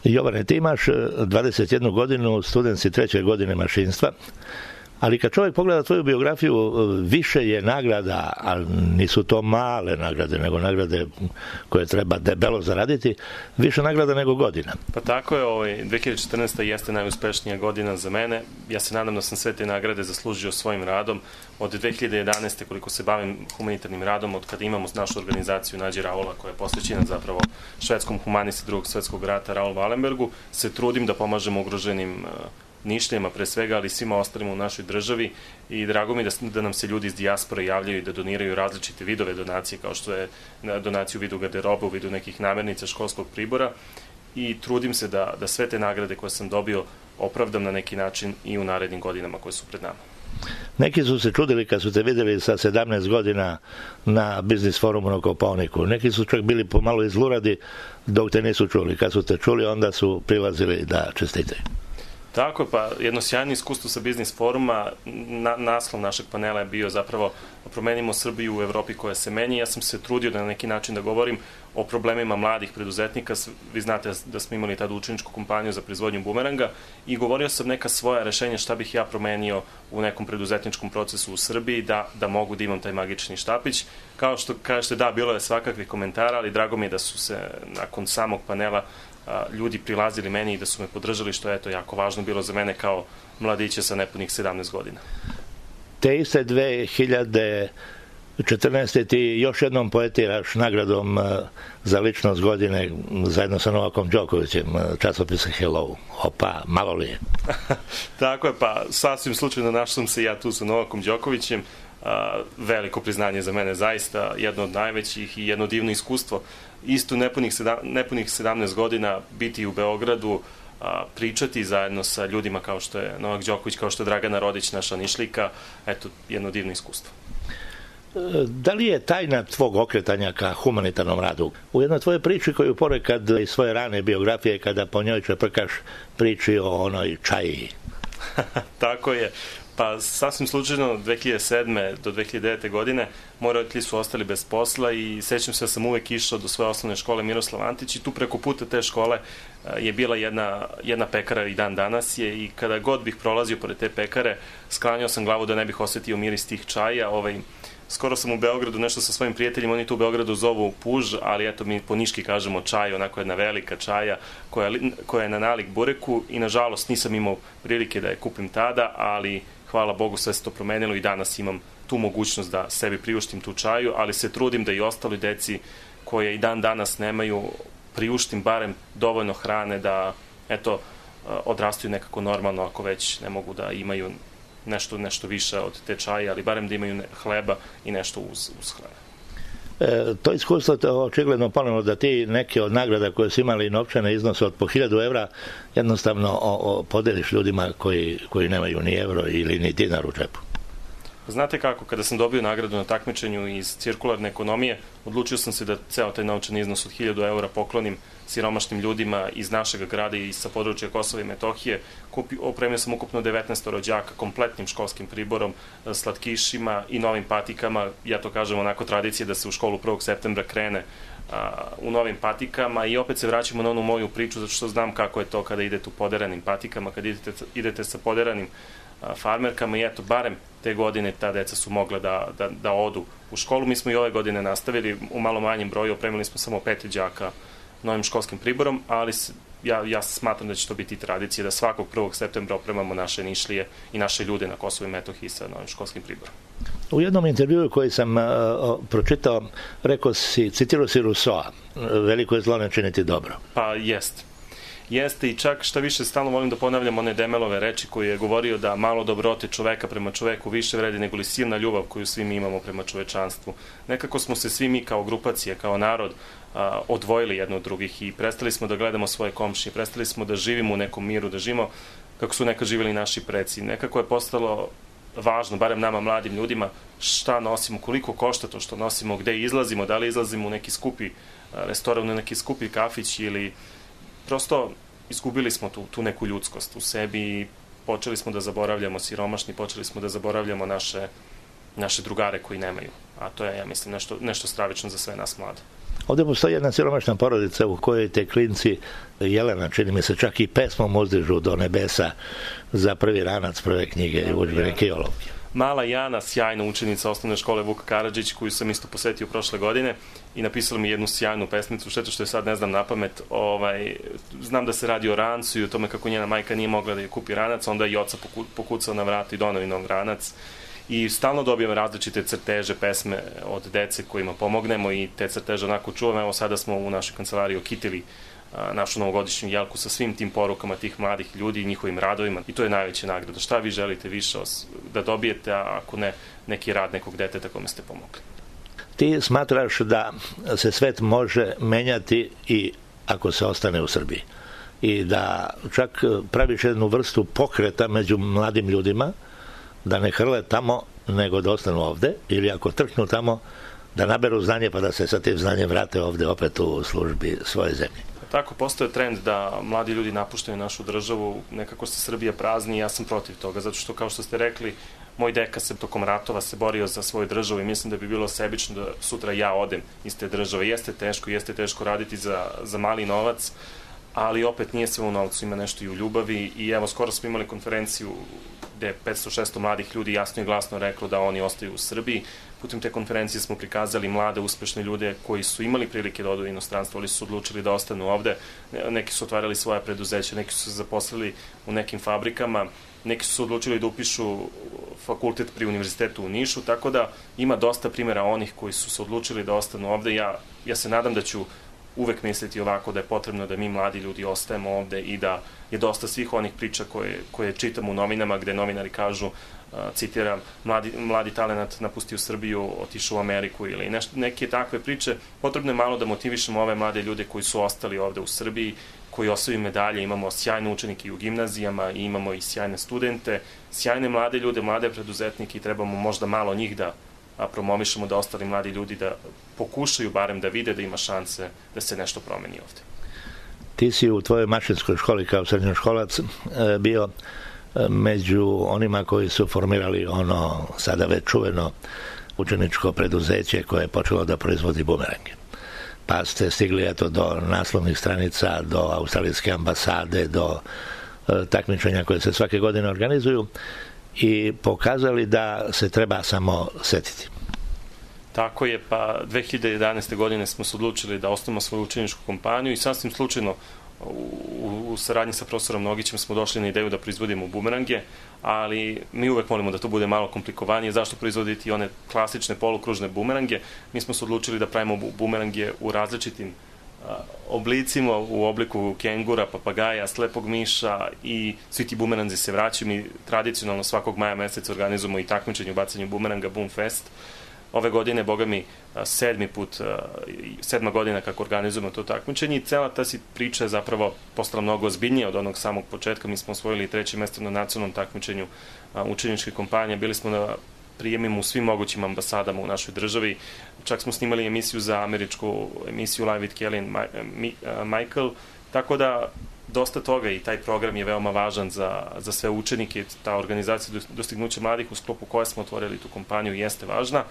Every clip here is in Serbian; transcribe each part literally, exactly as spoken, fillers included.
Jovane, ti imaš dvadeset jednu godinu, student si treće godine mašinstva, ali kad čovjek pogleda tvoju biografiju, više je nagrada, ali nisu to male nagrade, nego nagrade koje treba debelo zaraditi, više nagrada nego godina. Pa tako je, ovaj, dve hiljade četrnaesta. jeste najuspešnija godina za mene. Ja se nadam da sam sve te nagrade zaslužio svojim radom. Od dve hiljade jedanaeste. koliko se bavim humanitarnim radom, od kada imamo našu organizaciju Nađi Raula, koja je posvećena zapravo švedskom humanisti drugog svetskog rata Raul Wallenbergu, se trudim da pomažemo ugroženim Nišlijama pre svega, ali svima ostalima u našoj državi, i drago mi da, da nam se ljudi iz dijaspore javljaju i da doniraju različite vidove donacije, kao što je donacija u vidu garderobe, u vidu nekih namirnica, školskog pribora, i trudim se da, da sve te nagrade koje sam dobio opravdam na neki način i u narednim godinama koje su pred nama. Neki su se čudili kad su te vidjeli sa sedamnaest godina na biznis forumu na Kopaoniku. Neki su čak bili pomalo izluradi dok te nisu čuli. Kad su te čuli, onda su prilazili da čestitaju. Tako je, pa jedno sjajno iskustvo sa biznis foruma. Na, naslov našeg panela je bio zapravo Promenimo Srbiju u Evropi koja se menja. Ja sam se trudio da na neki način da govorim o problemima mladih preduzetnika. Vi znate da smo imali tada učeničku kompaniju za proizvodnju bumeranga i govorio sam neka svoja rešenja šta bih ja promenio u nekom preduzetničkom procesu u Srbiji da, da mogu da imam taj magični štapić. Kao što kažete, da, bilo je svakakvih komentara, ali drago mi je da su se nakon samog panela ljudi prilazili meni i da su me podržali, što je to jako važno bilo za mene kao mladiće sa nepunih sedamnaest godina. Te iste dve hiljade četrnaeste. ti još jednom poetiraš nagradom za ličnost godine zajedno sa Novakom Đokovićem, časopisa Hello. Opa, malo li je? Tako je, pa sasvim slučajno našao sam se ja tu sa Novakom Đokovićem. Veliko priznanje za mene, zaista jedno od najvećih i jedno divno iskustvo. Isto nepunih, sedam, nepunih sedamnaest godina biti u Beogradu, a, pričati zajedno sa ljudima kao što je Novak Đoković, kao što je Dragana Rodić, naša Nišlijka, eto, jedno divno iskustvo. Da li je tajna tvog okretanja ka humanitarnom radu? U jednoj tvojoj priči koju ponekad iz svoje rane biografije, kada po njoj čeprkaš, priči o onoj čaji. Tako je. Pa sasvim slučajno od dve hiljade sedme. do dve hiljade devete. godine moji roditelji su ostali bez posla i sećam se da sam uvek išao do svoje osnovne škole Miroslav Antić i tu preko puta te škole je bila jedna, jedna pekara i dan danas je, i kada god bih prolazio pored te pekare sklanjao sam glavu da ne bih osetio miris tih čaja. Ovaj, skoro sam u Beogradu nešto sa svojim prijateljima, oni tu u Beogradu zovu puž, ali eto mi po niški kažemo čaj, onako jedna velika čaja koja, koja je na nalik bureku, i nažalost nisam imao prilike da je kupim tada, ali hvala Bogu sve se to promenilo i danas imam tu mogućnost da sebi priuštim tu čaju, ali se trudim da i ostali deci koje i dan danas nemaju priuštim barem dovoljno hrane da eto odrastaju nekako normalno, ako već ne mogu da imaju nešto, nešto više od te čaje, ali barem da imaju hleba i nešto uz, uz hrane. E, to iskustvo je očigledno ponovno da ti neke od nagrada koje su imali novčane iznose od po hiljadu evra jednostavno o, o, podeliš ljudima koji, koji nemaju ni evro ili ni dinar u džepu. Znate kako, kada sam dobio nagradu na takmičenju iz cirkularne ekonomije, odlučio sam se da ceo taj novčani iznos od hiljadu eura poklonim siromašnim ljudima iz našeg grada i sa područja Kosova i Metohije. Kupi, opremio sam ukupno devetnaest rođaka kompletnim školskim priborom, slatkišima i novim patikama. Ja to kažem onako tradicije da se u školu prvog septembra krene a, u novim patikama, i opet se vraćamo na onu moju priču, zato što znam kako je to kada idete u poderanim patikama, kada idete, idete sa poderanim a, farmerkama, i eto, barem te godine ta deca su mogla da, da, da odu u školu. Mi smo i ove godine nastavili u malo manjem broju, opremili smo samo pet đaka novim školskim priborom, ali ja, ja smatram da će to biti tradicija da svakog prvog septembra opremamo naše Nišlije i naše ljude na Kosovu i Metohiji sa novim školskim priborom. U jednom intervjuu koji sam uh, pročitao, rekao si, citirao si Rousseau, veliko je zlo ne činiti dobro. Pa jeste. Jeste, i čak šta više stalno volim da ponavljam one Demelove reči koji je govorio da malo dobrote čoveka prema čoveku više vredi nego li silna ljubav koju svi mi imamo prema čovečanstvu. Nekako smo se svi mi kao grupacije, kao narod a, odvojili jedno od drugih i prestali smo da gledamo svoje komšije, prestali smo da živimo u nekom miru, da živimo kako su nekad živjeli naši preci. Nekako je postalo važno, barem nama mladim ljudima, šta nosimo, koliko košta to što nosimo, gde izlazimo, da li izlazimo u neki skupi restoran, u neki skupi kafić, ili prosto izgubili smo tu, tu neku ljudskost u sebi i počeli smo da zaboravljamo siromašni, počeli smo da zaboravljamo naše, naše drugare koji nemaju. A to je, ja mislim, nešto, nešto stravično za sve nas mlade. Ovdje postoji jedna siromašna porodica u kojoj te klinci, Jelena, čini mi se, čak i pesmom uzdižu do nebesa za prvi ranac, prve knjige i udžbenike i olovke. Mala Jana, sjajna učenica osnovne škole Vuk Karadžić, koju sam isto posetio prošle godine i napisala mi jednu sjajnu pesmicu, šteta što je sad ne znam na pamet. Ovaj, znam da se radi o rancu i o tome kako njena majka nije mogla da je kupi ranac, onda je i oca pokucao na vrat i donao nov ranac. I stalno dobijam različite crteže, pesme od dece kojima pomognemo i te crteže onako čuvam. Evo sada smo u našoj kancelariji okitili našu novogodišnju jelku sa svim tim porukama tih mladih ljudi i njihovim radovima i to je najveća nagrada. Šta vi želite više da dobijete, a ako ne, neki rad nekog deteta kome ste pomogli? Ti smatraš da se svet može menjati i ako se ostane u Srbiji i da čak praviš jednu vrstu pokreta među mladim ljudima da ne hrle tamo nego da ostanu ovde ili ako trknu tamo da naberu znanje pa da se sa tim znanjem vrate ovde opet u službi svoje zemlje. Tako, postoje trend da mladi ljudi napuštaju našu državu, nekako se Srbija prazni i ja sam protiv toga, zato što, kao što ste rekli, moj deka se tokom ratova se borio za svoju državu i mislim da bi bilo sebično da sutra ja odem iz te države. Jeste teško, jeste teško raditi za, za mali novac, ali opet nije sve u novcu, ima nešto i u ljubavi i evo, skoro smo imali konferenciju gde je petsto šesto mladih ljudi jasno i glasno reklo da oni ostaju u Srbiji. Putem te konferencije smo prikazali mlade, uspešne ljude koji su imali prilike da odu u inostranstvo, ali su odlučili da ostanu ovde. Neki su otvarali svoja preduzeća, neki su se zaposlili u nekim fabrikama, neki su se odlučili da upišu fakultet pri univerzitetu u Nišu, tako da ima dosta primjera onih koji su se odlučili da ostanu ovde. Ja, ja se nadam da ću uvek misliti ovako da je potrebno da mi mladi ljudi ostajemo ovde i da je dosta svih onih priča koje, koje čitamo u novinama gde novinari kažu, citiram, mladi, mladi talent napustio Srbiju, otišao u Ameriku ili neš, neke takve priče. Potrebno je malo da motivišemo ove mlade ljude koji su ostali ovde u Srbiji, koji osvojaju medalje. Imamo sjajne učenike i u gimnazijama, i imamo i sjajne studente, sjajne mlade ljude, mlade preduzetnike i trebamo možda malo njih da a promovišemo da ostali mladi ljudi da pokušaju barem da vide da ima šanse da se nešto promeni ovde. Ti si u tvojoj mašinskoj školi kao srednjoškolac bio među onima koji su formirali ono sada već čuveno učeničko preduzeće koje je počelo da proizvodi bumerange. Pa ste stigli eto do naslovnih stranica, do australijske ambasade, do takmičenja koje se svake godine organizuju i pokazali da se treba samo setiti. Tako je, pa dve hiljade jedanaeste. godine smo se odlučili da osnovimo svoju učeničku kompaniju i sasvim slučajno u, u saradnji sa profesorom Nogićem smo došli na ideju da proizvodimo bumerange, ali mi uvek molimo da to bude malo komplikovanije. Zašto proizvoditi one klasične polukružne bumerange? Mi smo se odlučili da pravimo bumerange u različitim oblicima, u obliku kengura, papagaja, slepog miša i svi ti bumeranzi se vraćaju. Mi tradicionalno svakog maja meseca organizujemo i takmičenje u bacanju bumeranga Boom Fest. Ove godine, boga mi, sedmi put, sedma godina kako organizujemo to takmičenje i cela ta si priča je zapravo postala mnogo ozbiljnija od onog samog početka. Mi smo osvojili treće mesto na nacionalnom takmičenju učeničke kompanije, bili smo na prijemima u svim mogućim ambasadama u našoj državi. Čak smo snimali emisiju za američku emisiju Live with Kelly and Michael, tako da dosta toga i taj program je veoma važan za, za sve učenike. Ta organizacija dostignuća mladih u sklopu koje smo otvorili tu kompaniju jeste važna.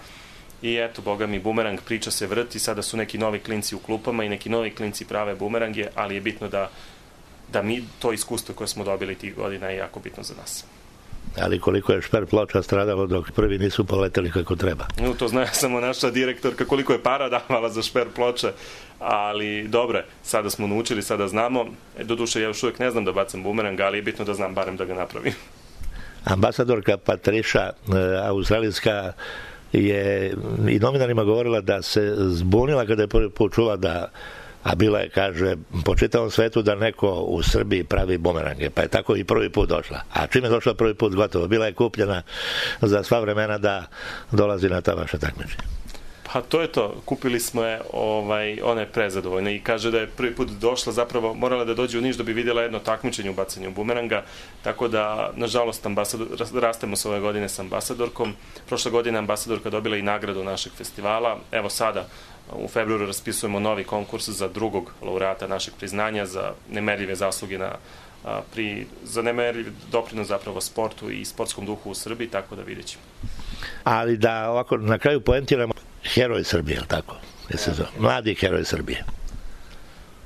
I eto, boga mi, bumerang priča se vrti, sada su neki novi klinci u klupama i neki novi klinci prave bumerange, ali je bitno da, da mi to iskustvo koje smo dobili tih godina je jako bitno za nas. Ali koliko je šper ploča stradalo dok prvi nisu poleteli kako treba. No, to zna samo naša direktorka koliko je para davala za šper ploče, ali dobre, sada smo naučili, sada znamo. Doduše, ja još uvijek ne znam da bacam bumerang, ali je bitno da znam barem da ga napravim. Ambasadorka Patriša, australijska, je i novinarima govorila da se zbunila kada je prvi put čula da, a bila je, kaže, po čitavom svetu da neko u Srbiji pravi bumerange, pa je tako i prvi put došla. A čim je došla prvi put, gotovo, bila je kupljena za sva vremena da dolazi na ta vaša takmičenja. Pa to je to, kupili smo je, ovaj, ona je prezadovoljna i kaže da je prvi put došla, zapravo morala da dođe u Niš da bi vidjela jedno takmičenje u bacanju bumeranga, tako da, nažalost, ambasador, rastemo se ove godine sa ambasadorkom. Prošle godine ambasadorka dobila i nagradu našeg festivala. Evo sada, u februaru raspisujemo novi konkurs za drugog laureata našeg priznanja za nemerljive zasluge na, a, pri, za nemerljiv doprinos zapravo sportu i sportskom duhu u Srbiji, tako da vidjet ćemo. Ali da ovako na kraju poentiramo, heroj Srbije, je li tako? Mladi heroj Srbije.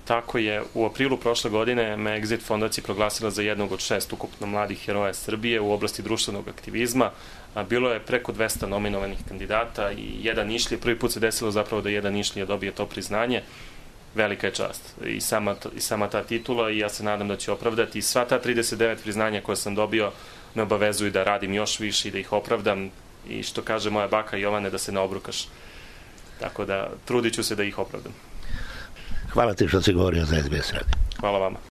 Tako je, u aprilu prošle godine me Exit fondacija proglasila za jednog od šest ukupno mladih heroja Srbije u oblasti društvenog aktivizma. Bilo je preko dvesta nominovanih kandidata i jedan Nišlije, prvi put se desilo zapravo da jedan Nišlije dobije to priznanje. Velika je čast i sama, i sama ta titula i ja se nadam da će opravdati. I sva ta trideset devet priznanja koje sam dobio me obavezuju da radim još više i da ih opravdam i što kaže moja baka Jovane, da se ne obrukaš. Tako da trudit ću se da ih opravdam. Hvala ti što si govorio za S B S radio. Hvala vama.